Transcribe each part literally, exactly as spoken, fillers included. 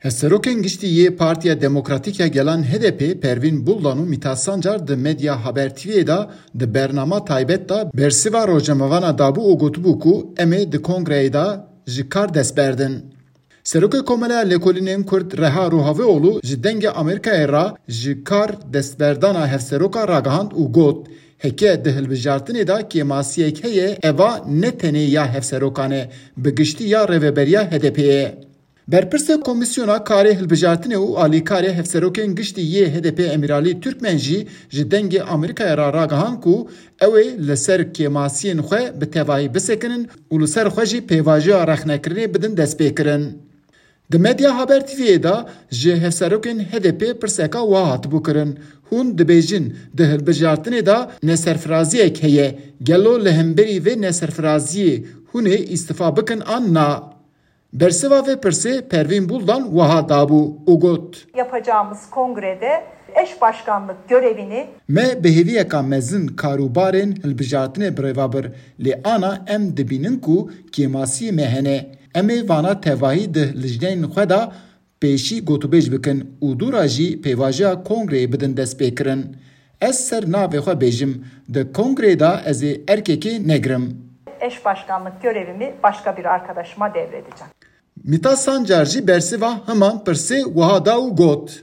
Hevserokên giştî yê Partiya Demokratîk ya Gelan H D P Pervîn Buldan û Mîta Sancar di Medya Haber T V'yê de di bernama taybet de bersiva rojnamevana dabû û gotibû ku em ê di kongreyê de ji kar dest berdin. Serokê Komeleya Lêkolînên Kurd Reha Ruhavîoğlu ji Dengê Amerîkayê re ji kar destberdana hevseroka ragihand û got, heke di hilbijartinê de kêmasiyek heye, eva ne tenê ya hevserokan e, bi giştî ya rêveberiya H D P'ê ye. Berpirsê Komîsyona Karê Hilbijartinê û Alîkarê Hevserokên Giştî yê H D P Emîralî Türkmen jî ji Dengê Amerîkayê re ragihand ku ew ê li ser kêmasiyên xwe bi tevahî bisekinin û li ser xwe jî pêvajoya rexnekirinê bidin destpêkirin. Di Medya Haber T V'yê de ji hevserokên H D P pirseka wiha hatibû kirin, hûn dibêjin di hilbijartinê de neserfiraziyek heye, gelo li hemberî vê neserfiraziyê hûn ê îstifa bikin an na? Bersiva vê pirsê Pervîn Buldan wiha dabû û got, Yapacağımız kongrede eş başkanlık görevini Me bi hêviyeka mezin karûbarên hilbijartinê birêva bir, lê ana em dibînin ku kêmasiyê me hene. Em ê vana tevahî di lijneyên xwe de pêşî gotûbêj bikin û dû re jî pêvajoya kongreyê bidin destpêkirin. Ez ser navê xwe bêjim, di kongreyê de ez ê erkekê negirim. Eş başkanlık görevimi başka bir arkadaşıma devredeceğim. Mîta Sancar jî bersiva heman pirsê wiha da û got,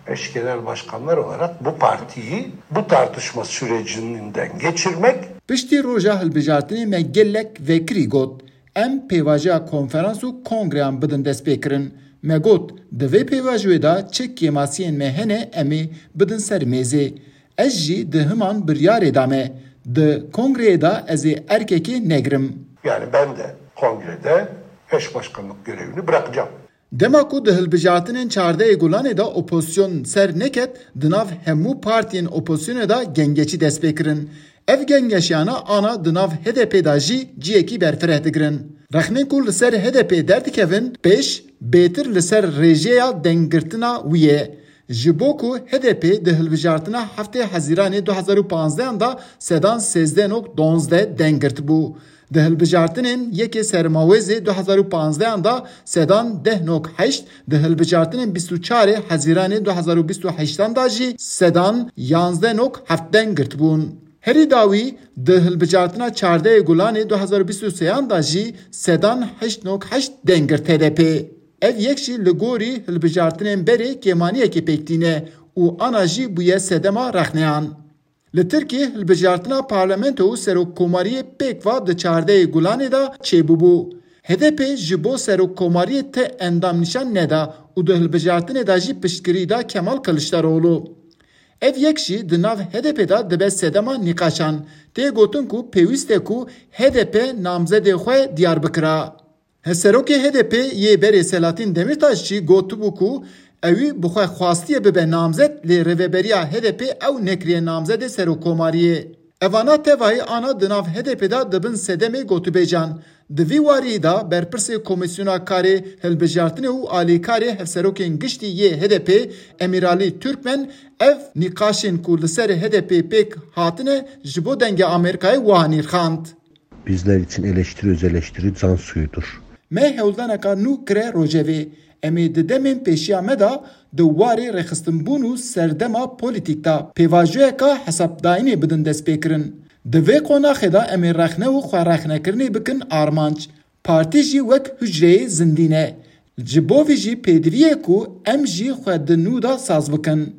Eş genel başkanlar olarak bu partiyi bu tartışma sürecinden geçirmek Piştî roja hilbijartinê me gelek vekirî got, em pêvajoya konferans û kongreyan bidin destpêkirin. Me got, di vê pêvajoyê de çi kêmasiyên me hene em ê bidin ser mêzê. Ez jî di himan biryarê de me. Di kongreyê de ez ê erkekê negirim. Yani ben de kongrede eş başkanlık görevini bırakacağım. Dema ku di hilbijartinên çardehê Gulanê de opozisyon ser neket, di nav hemû partiyên opozîsyonê de gengeçî dest pê kirin. Ev gengeşiyana ana di nav H D P de jî ciyekî berfireh digirin. Rexnên ku li ser H D P derdikevin, pêş bêtir li ser rêjeya denggirtina wî ye. Ji bo ku H D P di hilbijartina heftê Hezîranê du hezar û panzdehan de sedan sêzdeh nok donzdeh deng girtibû. Di hilbijartinên yekê Sermawêzê du hezar û panzdehan de sedan deh nok heşt, di hilbijartinên bîst û çarê Hezîranê du hezar û bîst û heştan de jî sedan yanzdeh nok heft deng girtibûn. Herî dawî di hilbijartina çardehê Gulanê du hezar û bîst û sêyan de jî sedan heşt nok heşt deng girt H D P. Ev yek jî li gorî hilbijartinên berê kêmaniyekê pêk tîne û ana jî bûye sedema rexneyan. Li Tirkiyê hilbijartina parlamento û serokkomariyê pêk va di çardehê Gulanê de çêbûbû. H D P ji bo serokkomariyê ti endam nîşan neda û di hilbijartinê de jî piştgirî da Kemal Kiliçdaroglu. Ev yek jî di nav H D P de dibe sedema nîqaşan. Tê gotin ku pêwîst e ku H D P namzedê xwe diyar bikira. Hevserokê H D P yê berê Selahattin Demirtaş jî gotibû ku ewî bi xwe xwastiye bibe namzet, lê rêveberiya H D P ew nekiriye namzedê serokkomariyê. Evana tevahî ana di nav H D P de dibin sedemê gotûbêjan. Di vî warî de berpirsê Komîsyona Karê Hilbijartinê û alîkarê Hevserokên Giştî yê H D P Emîralî Türkmen ev nîqaşên ku li ser H D P pêk hatine ji bo Dengê Amerîkayê wiha nirxand. Bizler için eleştiri öz eleştiri can suyudur. Me hewldaneka nû kire rojevê. Em ê di demên pêşiya me de di warê rêxistinbûn û serdema polîtîk de pêvajoyeka hesabdayînê bidin destpêkirin. Di vê qonaxê de em ê rexne û xwerexnekirinê bikin armanc. Partî jî wek hucreyê zindî ne. Ji bo vî jî pêdivî ye ku em jî xwe di nû de saz bikin.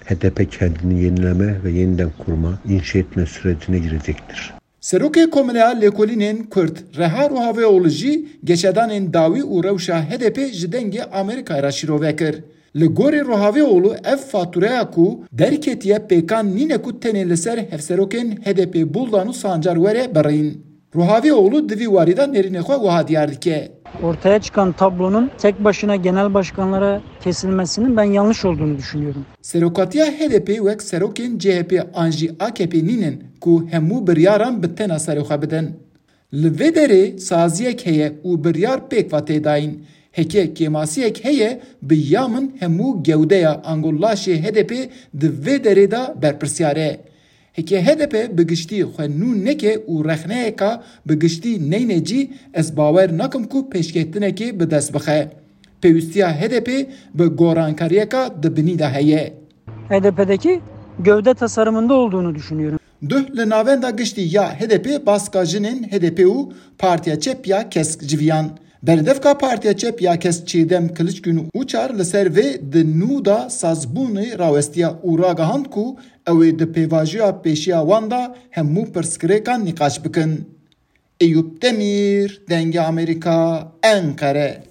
H D P kendini yenileme ve yeniden kurma, inşa etme sürecine girecektir. Serokê Komeleya Lêkolînên Kurd Reha Ruhavîoğlu jî geşedanên dawî û rewşa H D P ji Dengê Amerîkayê re şîrove kir. Li gorî Ruhavîoğlu ev fatûreya ku derketiye pêkan nîne ku tenê li ser hevserokên H D P Buldan û Sancar were birîn. Ruhavîoğlu di vî warî de nêrînê xwe wiha diyar dike. Ortaya çıkan tablonun tek başına genel başkanlara kesilmesinin ben yanlış olduğunu düşünüyorum. Serokatiya H D P wek serokên C H P an jî A K P nînin ku hemû biryaran bi tena serê xwe bidin. Li vê derê saziyek heye û biryar pêk va tê dayîn. Heke kêmasiyek heye, bi ya min hemû gewdeya ango laşê H D P di vê derê de berpirsiyar e. Heke H D P bi giştî xwe nû neke û rexneyeka bi giştî neyne cî, ez bawer nakim ku pêşketinekê bi dest bixe. Pêwîstiya H D P bi gorankariyeka di binî de heye. H D P'deki gövde tasarımında olduğunu düşünüyorum. Duh li navenda giştî ya H D P baska jinên H D P û Partiya Çep ya Kesk civiyan. Berdevka Partiya Çep ya Kesk Çêdem Kiliçgün Uçar li ser vê di nû de sazbûnê rawestiya û ragihand ku ew ê di pêvajoya pêşiya wan de hemû pirsgirêkan nîqaş bikin. Eyûp Demîr, Dengê Amerîka, Enqere.